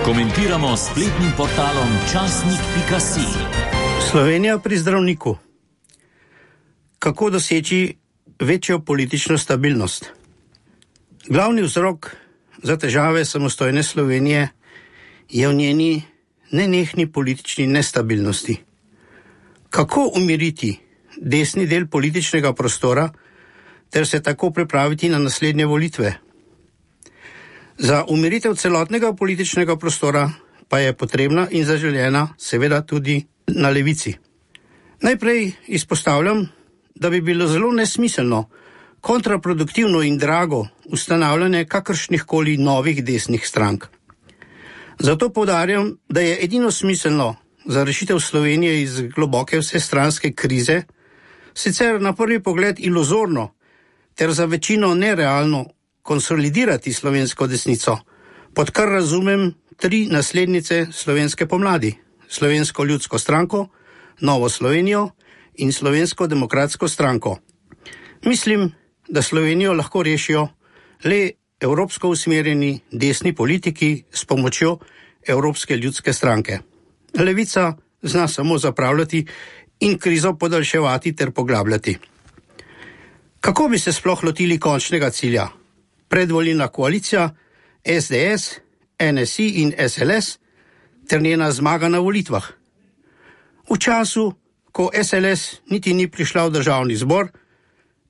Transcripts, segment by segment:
Komentiramo s spletnim portalom časnik.si. Slovenija pri zdravniku. Kako doseči večjo politično stabilnost? Glavni vzrok za težave samostojne Slovenije je v njeni nenehni politični nestabilnosti. Kako umiriti desni del političnega prostora ter se tako pripraviti na naslednje volitve? Za umiritev celotnega političnega prostora pa je potrebna in zaželjena seveda tudi na levici. Najprej izpostavljam, da bi bilo zelo nesmiselno, kontraproduktivno in drago ustanavljanje kakršnihkoli novih desnih strank. Zato poudarjam, da je edino smiselno za rešitev Slovenije iz globoke vsestranske krize, sicer na prvi pogled iluzorno ter za večino nerealno konsolidirati slovensko desnico, pod kar razumem 3 naslednice slovenske pomladi: Slovensko ljudsko stranko, Novo Slovenijo in Slovensko demokratsko stranko. Mislim, da Slovenijo lahko rešijo le evropsko usmerjeni desni politiki s pomočjo Evropske ljudske stranke. Levica zna samo zapravljati in krizo podaljševati ter poglabljati. Kako bi se sploh lotili končnega cilja? Predvolilna koalicija SDS, NSI in SLS ter njena zmaga na volitvah. V času, ko SLS niti ni prišla v državni zbor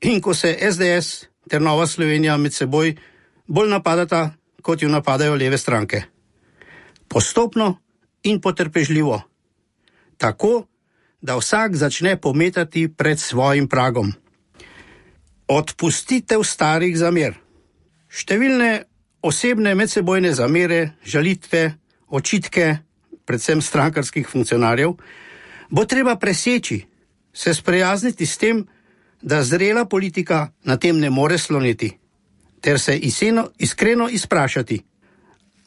in ko se SDS ter Nova Slovenija med seboj bolj napadata, kot jo napadajo leve stranke. Postopno in potrpežljivo. Tako, da vsak začne pometati pred svojim pragom. Odpustitev starih zamer. Številne osebne medsebojne zamere, žalitve, očitke, predvsem strankarskih funkcionarjev, bo treba preseči, se sprijazniti s tem, da zrela politika na tem ne more sloniti, ter se iskreno izprašati,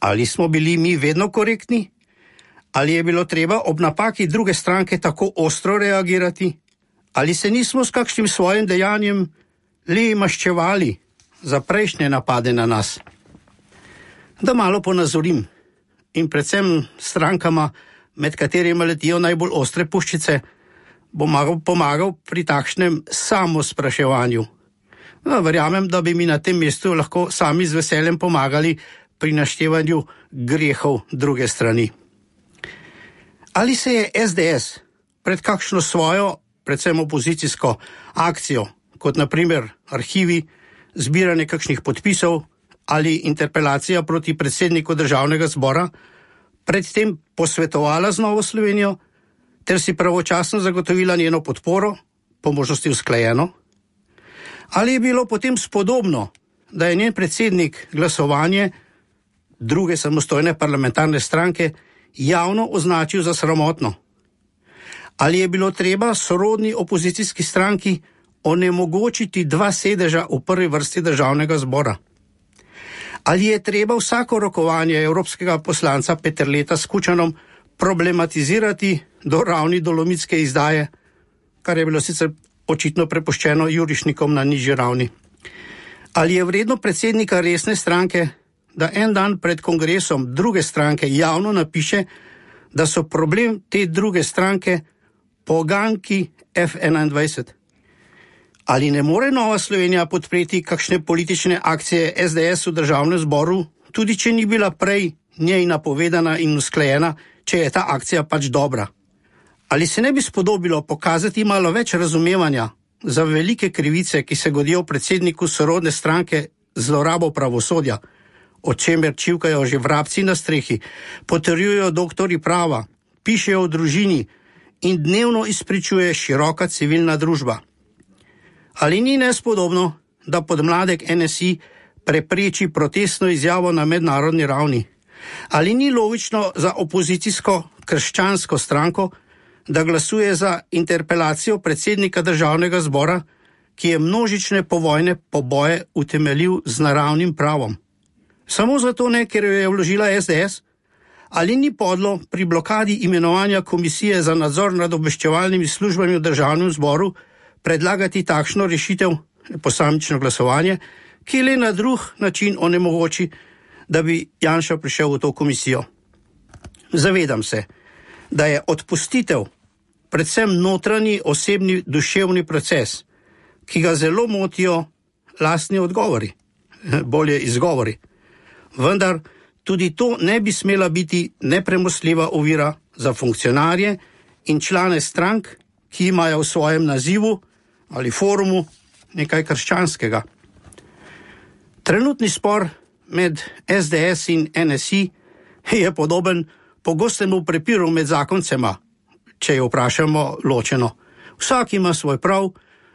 ali smo bili mi vedno korektni, ali je bilo treba ob napaki druge stranke tako ostro reagirati, ali se nismo s kakšnim svojim dejanjem le maščevali za prejšnje napade na nas. Da malo ponazorim in predvsem strankama, med katerima letijo najbolj ostre puščice, bom pomagal pri takšnem samospraševanju. Verjamem, da bi mi na tem mestu lahko sami z veseljem pomagali pri naštevanju grehov druge strani. Ali se je SDS pred kakšno svojo, predvsem opozicijsko akcijo, kot na primer arhivi, zbiranje kakšnih podpisov ali interpelacija proti predsedniku državnega zbora, predtem posvetovala z Novo Slovenijo ter si pravočasno zagotovila njeno podporo, po možnosti usklajeno? Ali je bilo potem spodobno, da je njen predsednik glasovanje druge samostojne parlamentarne stranke javno označil za sramotno? Ali je bilo treba sorodni opozicijski stranki onemogočiti 2 sedeža v prvi vrsti državnega zbora? Ali je treba vsako rokovanje evropskega poslanca Peterleta s Kučanom problematizirati do ravni dolomitske izdaje, kar je bilo sicer očitno prepuščeno jurišnikom na nižji ravni? Ali je vredno predsednika resne stranke, da en dan pred kongresom druge stranke javno napiše, da so problem te druge stranke poganjki F21? Ali ne more Nova Slovenija podpreti kakšne politične akcije SDS v državnem zboru, tudi če ni bila prej njej napovedana in usklajena, če je ta akcija pač dobra? Ali se ne bi spodobilo pokazati malo več razumevanja za velike krivice, ki se godijo predsedniku sorodne stranke zlorabo pravosodja, o čemer čivkajo že vrabci na strehi, potrjujejo doktorji prava, pišejo o družini in dnevno izpričuje široka civilna družba? Ali ni nespodobno, da podmladek NSI prepreči protestno izjavo na mednarodni ravni? Ali ni logično za opozicijsko krščansko stranko, da glasuje za interpelacijo predsednika državnega zbora, ki je množične povojne poboje utemeljil z naravnim pravom? Samo zato ne, ker jo je vložila SDS? Ali ni podlo pri blokadi imenovanja komisije za nadzor nad obveščevalnimi službami v državnem zboru predlagati takšno rešitev, posamično glasovanje, ki le na drug način onemogoči, da bi Janša prišel v to komisijo? Zavedam se, da je odpustitev predvsem notranji osebni duševni proces, ki ga zelo motijo lastni odgovori, bolje izgovori. Vendar tudi to ne bi smela biti nepremostljiva ovira za funkcionarje in člane strank, ki imajo v svojem nazivu ali forumu nekaj krščanskega. Trenutni spor med SDS in NSI je podoben pogostemu prepiru med zakoncema, če jo vprašamo ločeno. Vsak ima svoj prav,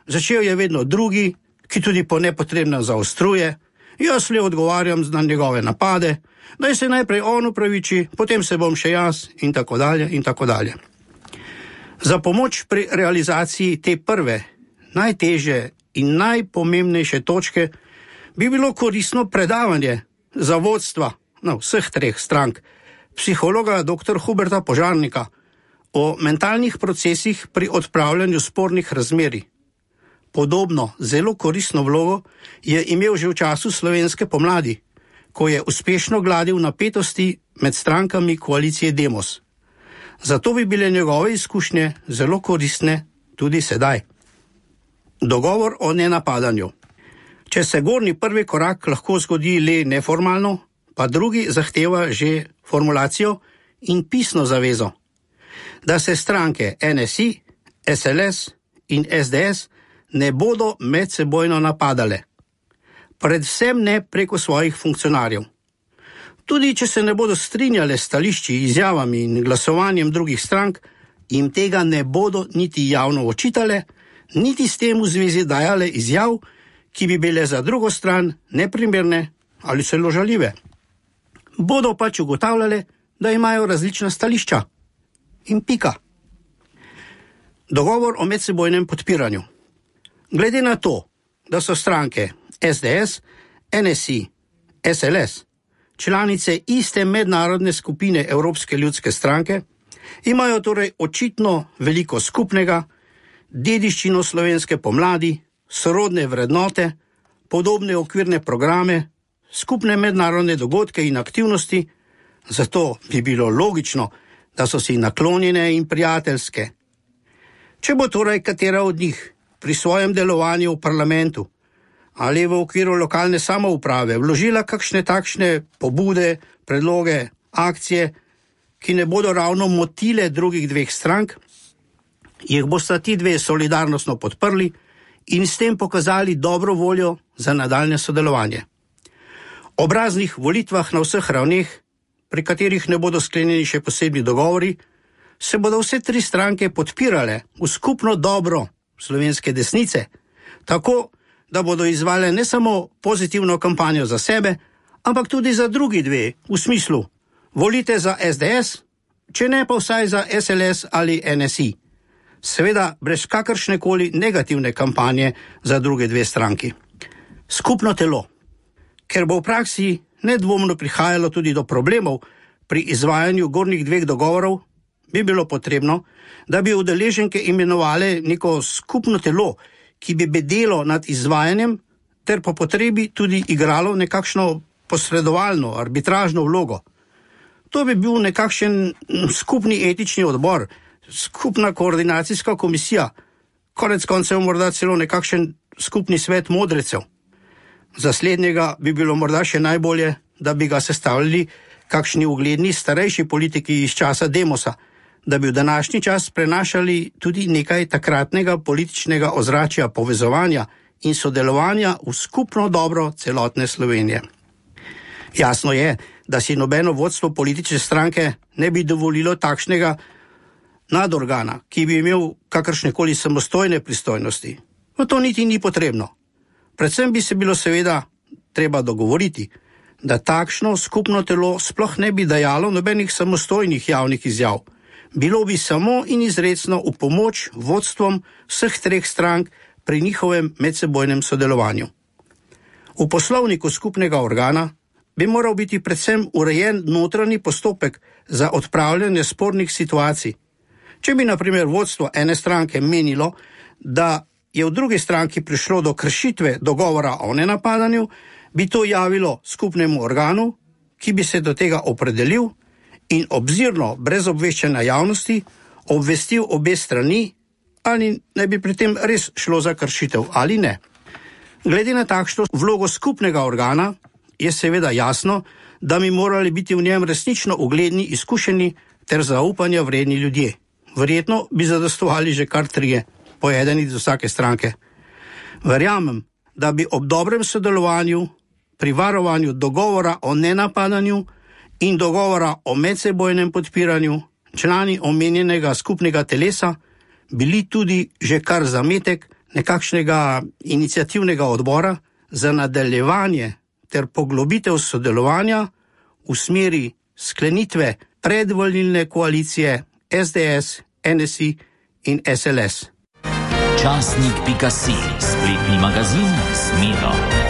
začel je vedno drugi, ki tudi po nepotrebnem zaostruje, jaz le odgovarjam na njegove napade, naj se najprej on upraviči, potem se bom še jaz in tako dalje in tako dalje. Za pomoč pri realizaciji te prve, najtežje in najpomembnejše točke bi bilo koristno predavanje za vodstva vseh treh strank, psihologa dr. Huberta Požarnika, o mentalnih procesih pri odpravljanju spornih razmerij. Podobno, zelo koristno vlogo je imel že v času slovenske pomladi, ko je uspešno gladil napetosti med strankami koalicije Demos. Zato bi bile njegove izkušnje zelo koristne tudi sedaj. Dogovor o nenapadanju. Če se gornji prvi korak lahko zgodi le neformalno, pa drugi zahteva že formulacijo in pisno zavezo, da se stranke NSI, SLS in SDS ne bodo medsebojno napadale. Predvsem ne preko svojih funkcionarjev. Tudi če se ne bodo strinjale s stališči, izjavami in glasovanjem drugih strank, jim tega ne bodo niti javno očitale, niti s tem v zvezi dajale izjav, ki bi bile za drugo stran neprimerne ali celo žaljive. Bodo pač ugotavljale, da imajo različna stališča. In pika. Dogovor o medsebojnem podpiranju. Glede na to, da so stranke SDS, NSI, SLS, članice iste mednarodne skupine Evropske ljudske stranke, imajo torej očitno veliko skupnega, dediščino slovenske pomladi, sorodne vrednote, podobne okvirne programe, skupne mednarodne dogodke in aktivnosti, zato bi bilo logično, da so si naklonjene in prijateljske. Če bo torej katera od njih pri svojem delovanju v parlamentu ali v okviru lokalne samouprave vložila kakšne takšne pobude, predloge, akcije, ki ne bodo ravno motile drugih dveh strank, jih bosta ti dve solidarnostno podprli in s tem pokazali dobro voljo za nadaljne sodelovanje. Ob raznih volitvah na vseh ravneh, pri katerih ne bodo sklenjeni še posebni dogovori, se bodo vse tri stranke podpirale v skupno dobro slovenske desnice, tako da bodo izvale ne samo pozitivno kampanjo za sebe, ampak tudi za drugi dve, v smislu volite za SDS, če ne pa vsaj za SLS ali NSI. Seveda brez kakršnekoli negativne kampanje za druge dve stranki. Skupno telo. Ker bo v praksi nedvomno prihajalo tudi do problemov pri izvajanju gornjih dveh dogovorov, bi bilo potrebno, da bi udeleženke imenovali neko skupno telo, ki bi bedelo nad izvajanjem ter po potrebi tudi igralo nekakšno posredovalno, arbitražno vlogo. To bi bil nekakšen skupni etični odbor, skupna koordinacijska komisija, konec koncev morda celo nekakšen skupni svet modrecev. Za slednjega bi bilo morda še najbolje, da bi ga sestavljali kakšni ugledni starejši politiki iz časa Demosa, da bi v današnji čas prenašali tudi nekaj takratnega političnega ozračja povezovanja in sodelovanja v skupno dobro celotne Slovenije. Jasno je, da si nobeno vodstvo politične stranke ne bi dovolilo takšnega nadorgana, ki bi imel kakršnekoli samostojne pristojnosti. No, to niti ni potrebno. Predvsem bi se bilo seveda treba dogovoriti, da takšno skupno telo sploh ne bi dajalo nobenih samostojnih javnih izjav. Bilo bi samo in izrecno v pomoč vodstvom vseh treh strank pri njihovem medsebojnem sodelovanju. V poslovniku skupnega organa bi moral biti predvsem urejen notranji postopek za odpravljanje spornih situacij. Če bi na primer vodstvo ene stranke menilo, da je v drugi stranki prišlo do kršitve dogovora o nenapadanju, bi to javilo skupnemu organu, ki bi se do tega opredelil in obzirno brez obveščanja javnosti obvestil obe strani, ali ne bi pri tem res šlo za kršitev ali ne. Glede na takšno vlogo skupnega organa je seveda jasno, da bi morali biti v njem resnično ugledni, izkušeni ter zaupanja vredni ljudje. Verjetno bi zadostovali že kar 3, po eden iz vsake stranke. Verjamem, da bi ob dobrem sodelovanju pri varovanju dogovora o nenapadanju in dogovora o medsebojnem podpiranju člani omenjenega skupnega telesa bili tudi že kar zametek nekakšnega iniciativnega odbora za nadaljevanje ter poglobitev sodelovanja v smeri sklenitve predvolilne koalicije SDS, NSI in SLS. Časnik.si, spletni magazin s Miro.